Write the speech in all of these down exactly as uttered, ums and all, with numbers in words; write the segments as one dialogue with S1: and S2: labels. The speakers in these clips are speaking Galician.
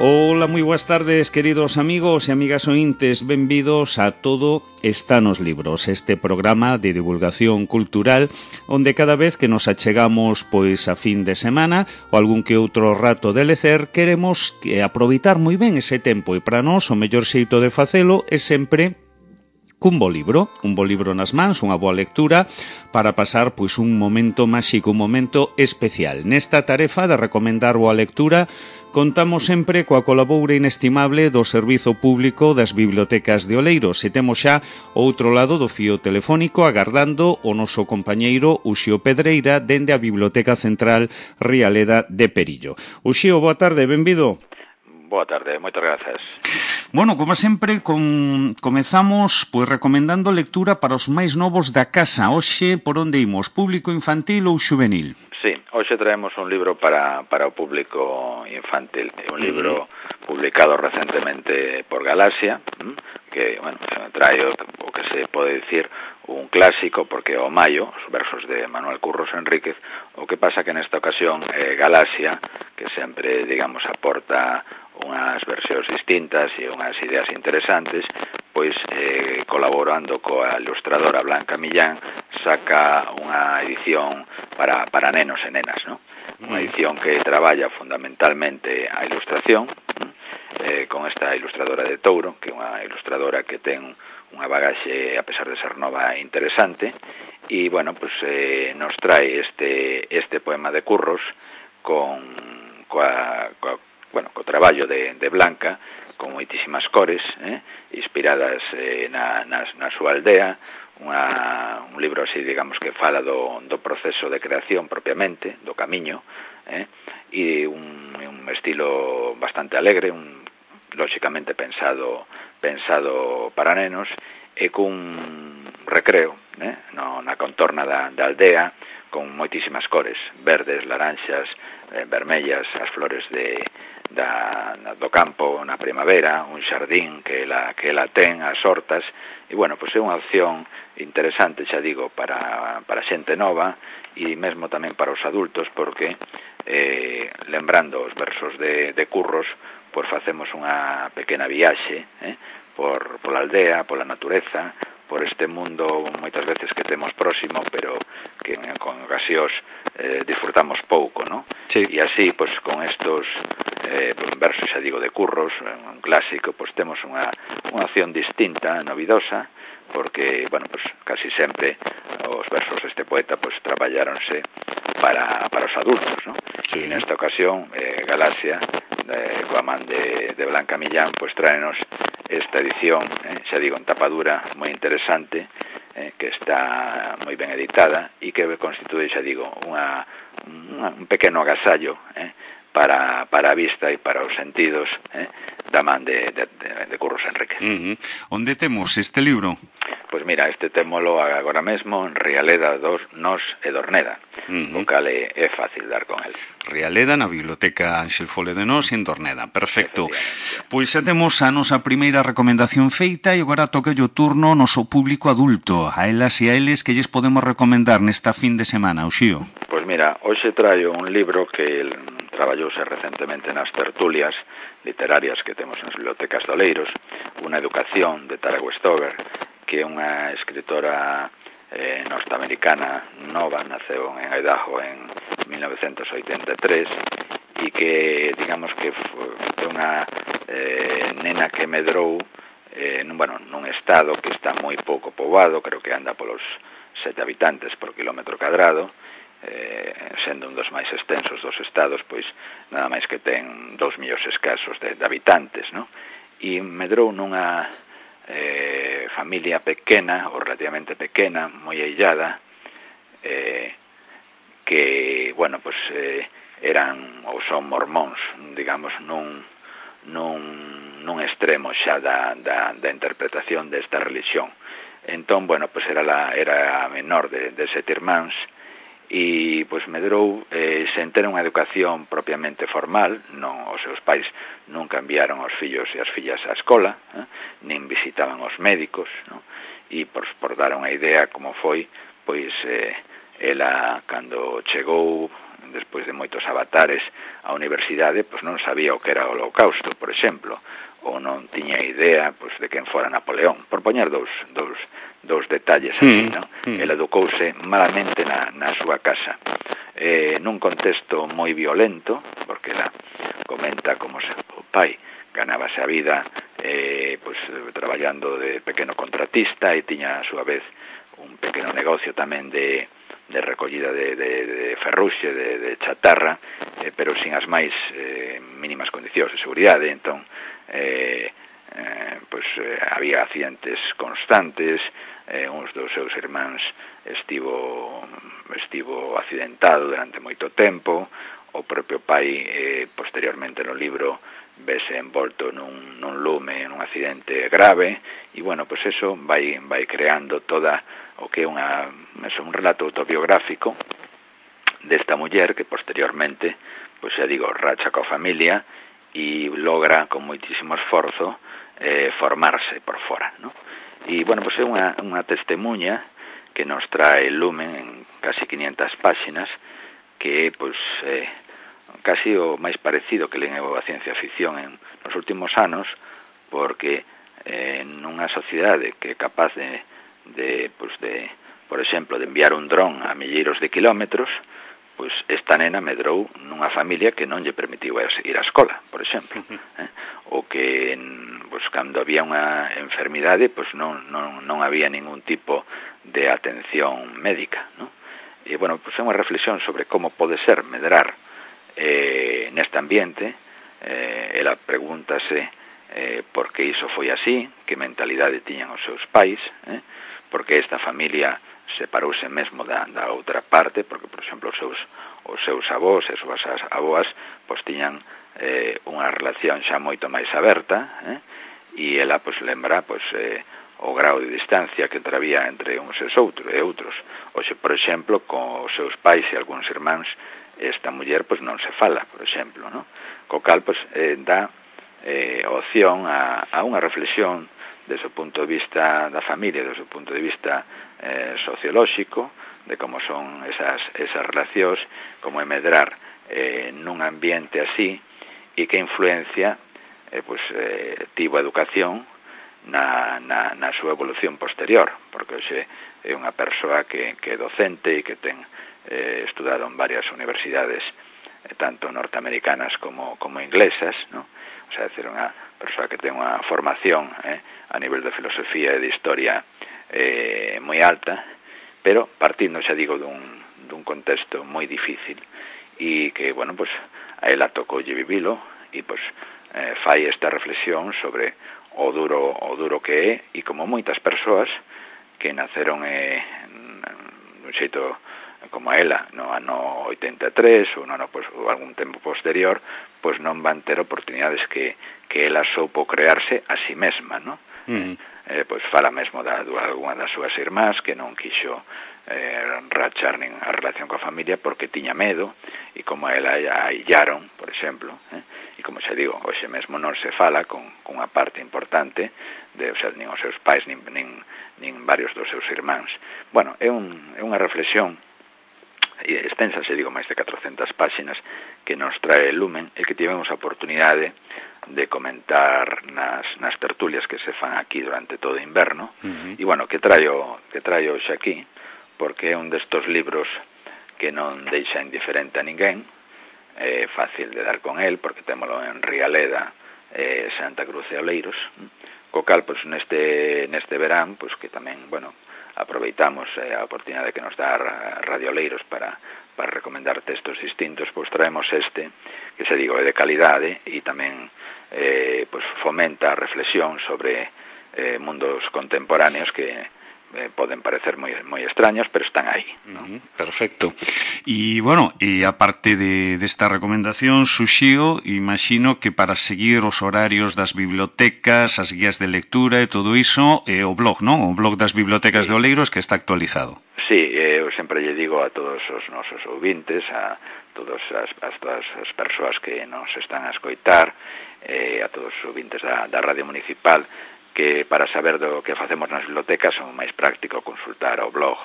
S1: Ola, moi boas tardes, queridos amigos e amigas ointes. Benvidos a Todo está nos libros, este programa de divulgación cultural onde cada vez que nos achegamos pois a fin de semana ou algún que outro rato de lecer, queremos que aproveitar moi ben ese tempo e para nós o mellor xeito de facelo é sempre cun bo libro, un bo libro nas mans, unha boa lectura para pasar pois un momento máxico, un momento especial. Nesta tarefa de recomendar boa lectura contamos sempre coa colaboura inestimable do Servizo Público das Bibliotecas de Oleiros e temos xa o outro lado do fío telefónico agardando o noso compañeiro Uxío Pedreira dende a Biblioteca Central Rialeda de Perillo. Uxío, boa tarde, benvido.
S2: Boa tarde, moitas grazas.
S1: Bueno, como sempre, con, comezamos pois recomendando lectura para os máis novos da casa. Hoxe, por onde imos? Público infantil ou xuvenil?
S2: Sí, hoxe traemos un libro para, para o público infantil. Un libro publicado recentemente por Galaxia, que, bueno, trae o, o que se pode dicir un clásico, porque o Maio, os versos de Manuel Curros Enríquez. O que pasa que nesta ocasión eh, Galaxia, que sempre, digamos, aporta unhas versións distintas e unhas ideas interesantes, pois eh, colaborando coa ilustradora Blanca Millán, saca unha edición para, para nenos e nenas, ¿no? Unha edición que traballa fundamentalmente a ilustración, eh, con esta ilustradora de Touro, que é unha ilustradora que ten unha bagaxe, a pesar de ser nova, interesante, e, bueno, pues eh, nos trae este, este poema de Curros con, coa, coa bueno, co traballo de, de Blanca, con moitísimas cores, eh, inspiradas eh, na, na, na súa aldea, unha, un libro así, digamos, que fala do, do proceso de creación propiamente, do camiño, eh, e un, un estilo bastante alegre, un, lóxicamente pensado, pensado para nenos, e cun recreo, eh, no, na contorna da, da aldea, con moitísimas cores, verdes, laranxas, eh, vermellas, as flores de Da, do campo na primavera, un xardín que ela, que ela ten, as hortas, e, bueno, pois é unha opción interesante, xa digo, para, para xente nova e mesmo tamén para os adultos, porque, eh, lembrando os versos de, de Curros, pois facemos unha pequena viaxe, eh, por, pola aldea, pola natureza, por este mundo moitas veces que temos próximo, pero que con ocasións eh, disfrutamos pouco, ¿no?
S1: Sí.
S2: E así, pues, con estos eh, pues, versos, xa digo, de Curros, un clásico, pues temos unha, unha opción distinta, novidosa, porque, bueno, pues casi sempre os versos deste poeta pues traballáronse para, para os adultos, ¿no?
S1: Sí.
S2: E nesta ocasión, eh, Galaxia, eh, coa man de, de Blanca Millán, pues tráenos esta edición, eh, xa digo, en tapadura moi interesante, eh, que está moi ben editada e que constitúe, xa digo, unha, unha, un pequeno agasallo, eh, para, para a vista e para os sentidos, eh, da man de, de, de, de Curros Enríquez.
S1: Uh-huh. Onde temos este libro?
S2: Pois mira, este témolo agora mesmo en Rialeda dos Nos e Dorneda, uh-huh. O cal é, é fácil dar con el.
S1: Rialeda na Biblioteca Ángel Fole de Nos e en Dorneda, perfecto. Pois xa temos a nosa primeira recomendación feita e agora toca o turno ao noso público adulto, a elas e a eles que lles podemos recomendar nesta fin de semana, Uxío.
S2: Pois mira, hoxe traio un libro que traballouse recentemente nas tertulias literarias que temos nas bibliotecas de Oleiros, Unha educación de Tara Westover, que é unha escritora eh, norteamericana nova, naceu en Idaho en mil novecentos oitenta e tres e que, digamos que foi unha eh, nena que medrou eh, nun, bueno, nun estado que está moi pouco poboado, creo que anda polos sete habitantes por kilómetro cadrado, eh, sendo un dos máis extensos dos estados, pois nada máis que ten dous millóns escasos de, de habitantes, ¿no? E medrou nunha eh, familia pequena, ou relativamente pequena, moi aillada, eh, que, bueno, pues eh, eran ou son mormóns, digamos, nun, nun, nun extremo xa da, da, da interpretación desta religión. Entón, bueno, pues era, la, era a menor de, de sete irmáns, e pois medrou eh, sen ter unha educación propiamente formal, non, os seus pais nunca enviaron os fillos e as fillas á escola, eh, nin visitaban os médicos, no? E por, por dar unha idea como foi, pois eh, ela cando chegou despois de moitos avatares á universidade, pois non sabía o que era o Holocausto, por exemplo, ou non tiña idea pois, de quen fora Napoleón, por poñer dous, dous, dous detalles así,
S1: mm,
S2: non?
S1: mm.
S2: Ele educouse malamente na, na súa casa, eh, nun contexto moi violento, porque ela comenta como se, o pai ganábase a vida eh, pues, traballando de pequeno contratista e tiña a súa vez un pequeno negocio tamén de, de recollida de, de, de ferruxe, de, de chatarra, eh, pero sin as máis eh, mínimas condicións de seguridade. Entón, eh, eh, pues, eh, había accidentes constantes, eh, uns dos seus irmáns estivo, estivo accidentado durante moito tempo, o propio pai, eh, posteriormente no libro, vese envolto nun, nun lume, nun accidente grave, e, bueno, pues eso vai, vai creando toda o que é unha, eso, un relato autobiográfico desta muller que posteriormente, pues xa digo, racha coa familia e logra con moitísimo esforzo eh, formarse por fora, ¿no? E, bueno, pues é unha, unha testemunha que nos trae Lumen en casi quinientas páxinas, que é, pues, eh, casi o máis parecido que len a ciencia ficción en nos últimos anos, porque eh, nunha sociedade que é capaz de, de, pues de, por exemplo, de enviar un dron a milleiros de kilómetros, pois esta nena medrou nunha familia que non lle permitiu ir á escola, por exemplo, eh? ou que pois, cando había unha enfermidade pois non, non, non había ningún tipo de atención médica, ¿no? E, bueno, pois é unha reflexión sobre como pode ser medrar eh, neste ambiente. Eh, ela pregúntase eh, por que iso foi así, que mentalidade tiñan os seus pais, eh? porque esta familia separouse mesmo da, da outra parte, porque, por exemplo, os seus, os seus avós e as súas avoas pois tiñan eh, unha relación xa moito máis aberta, eh? e ela pois lembra pois, eh, o grau de distancia que había entre uns e outros, e outros. Oxe, por exemplo, con os seus pais e algúns irmáns, esta muller pois non se fala, por exemplo, ¿no? Co cal pois, eh, dá eh, opción a, a unha reflexión desde o punto de vista da familia, desde o punto de vista eh, sociolóxico, de como son esas, esas relacións, como é medrar eh, nun ambiente así, e que influencia eh, pues, eh, tivo a educación na, na, na súa evolución posterior, porque hoxe é unha persoa que, que é docente e que ten eh, estudado en varias universidades, eh, tanto norteamericanas como, como inglesas, ¿no? O sea, é dicir, unha persoa que ten unha formación eh, a nivel de filosofía e de historia eh, moi alta, pero partindo, xa digo, dun, dun contexto moi difícil e que, bueno, pues a ela tocoulle vivilo e, pues, eh, fai esta reflexión sobre o duro o duro que é, e como moitas persoas que naceron eh, dun xeito como a ela no ano oitenta e tres ou, no ano, pues, ou algún tempo posterior, pois non van ter oportunidades que, que ela soupo crearse a si mesma, ¿no? Mm. Eh, pois fala mesmo da, de alguna das súas irmás que non quixo eh, rachar nin a relación coa familia porque tiña medo, e como a ela a illaron, por exemplo, eh? E como xa digo, hoxe mesmo non se fala con, con unha parte importante de, o sea, nin os seus pais nin, nin, nin varios dos seus irmáns. Bueno, é, un, é unha reflexión extensa, se digo, máis de catrocentas páxinas que nos trae Lumen e que tivemos a oportunidade de comentar nas, nas tertulias que se fan aquí durante todo o inverno. Uh-huh. E, bueno, que traio, que traio hoxe aquí, porque é un destos libros que non deixa indiferente a ninguén, é fácil de dar con el, porque témolo en Rialeda, eh, Santa Cruz e Oleiros, co cal, pois, neste, neste verán, pois, que tamén, bueno, aproveitamos eh, a oportunidade que nos dá Radio Oleiros para, para recomendar textos distintos, pois traemos este, que se digo, é de calidade e tamén eh, pois fomenta a reflexión sobre eh, mundos contemporáneos que eh, poden parecer moi, moi extraños, pero están aí, ¿no?
S1: Uh-huh, perfecto. E, bueno, e aparte de, desta recomendación, Suxío, imagino que para seguir os horarios das bibliotecas, as guías de lectura e todo iso, é o blog, non? O blog das bibliotecas sí. de Oleiros que está actualizado.
S2: Sí, eu sempre lle digo a todos os nosos ouvintes, a todas as, as, todas as persoas que nos están a escoitar, eh, a todos os ouvintes da, da Radio Municipal, que para saber do que facemos nas bibliotecas é máis práctico consultar o blog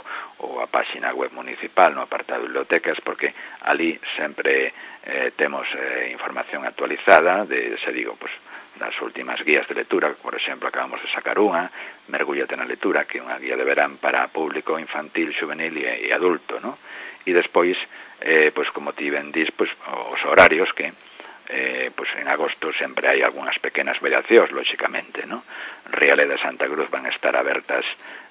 S2: ou a páxina web municipal no apartado de bibliotecas, porque ali sempre eh, temos eh, información actualizada de, se digo, pues, das últimas guías de lectura. Por exemplo, acabamos de sacar unha, Mergúllate na lectura, que é unha guía de verán para público infantil, juvenil e, e adulto, ¿no? E despois, eh, pues, como ti ben dis, pues, os horarios que eh, pues, en agosto sempre hai algunhas pequenas variacións, lóxicamente, ¿no? Riale de Santa Cruz van a estar abertas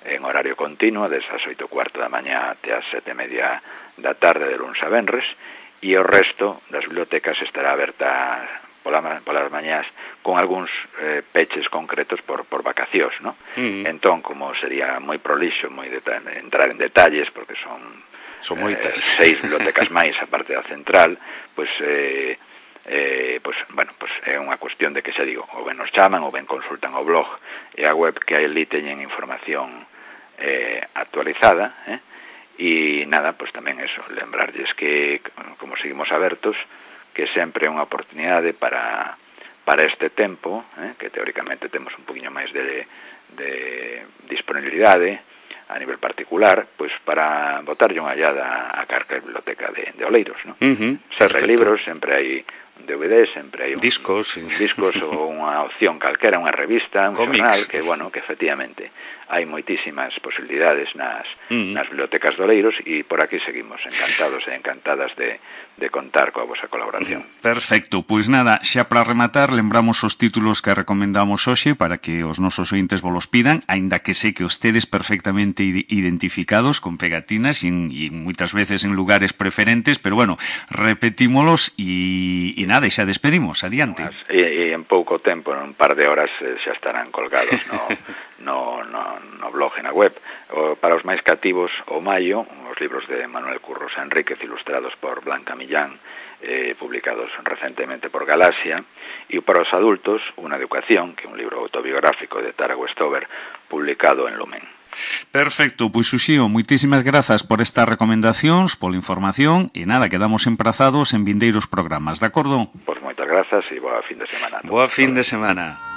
S2: en horario continuo, desde as oito e cuarto da mañá até as sete e media da tarde de luns a venres, e o resto das bibliotecas estará aberta pola, polas mañás con algúns eh, peches concretos por, por vacacións, ¿no? Uh-huh. Entón, como sería moi prolixo, moi deta- entrar en detalles, porque son,
S1: son moitas.
S2: Eh, seis bibliotecas máis a parte da central, pois, eh, eh, pois, bueno, pois é unha cuestión de que, xa digo, ou ben nos chaman, ou ben consultan o blog e a web, que ali teñen información eh, actualizada, eh? E nada, pois tamén eso, lembrarlles que, como seguimos abertos, que sempre é unha oportunidade para, para este tempo, eh, que teóricamente temos un poquinho máis de, de disponibilidade a nivel particular, pois para botarlle unha allada a carca biblioteca de, de Oleiros, ¿no?
S1: Uh-huh,
S2: sempre hai libros, sempre hai D V D, sempre hai un,
S1: discos, sí.
S2: discos ou unha opción calquera, unha revista, un
S1: Comics.
S2: xornal, que, bueno, que efectivamente hai moitísimas posibilidades nas,
S1: uh-huh.
S2: nas bibliotecas de Oleiros, e por aquí seguimos encantados e encantadas de, de contar coa vosa colaboración.
S1: Perfecto, pois nada, xa para rematar, lembramos os títulos que recomendamos hoxe para que os nosos ointes volos pidan, aínda que sei que os tedes perfectamente identificados con pegatinas e, en, e moitas veces en lugares preferentes, pero bueno, repetímolos e, e nada, e xa despedimos, adiante.
S2: E, e en pouco tempo, en un par de horas, xa estarán colgados no, no, no, no blog e na web. O, para os máis cativos, o maio, os libros de Manuel Curros Enríquez, ilustrados por Blanca Millán, eh, publicados recentemente por Galaxia, e para os adultos, Una educación, que é un libro autobiográfico de Tara Westover, publicado en Lumen.
S1: Perfecto, pois Uxío, moitísimas grazas por estas recomendacións, pola información, e nada, quedamos emprazados en vindeiros programas, de acordo?
S2: Pois moitas grazas e boa fin de semana.
S1: Boa fin de semana.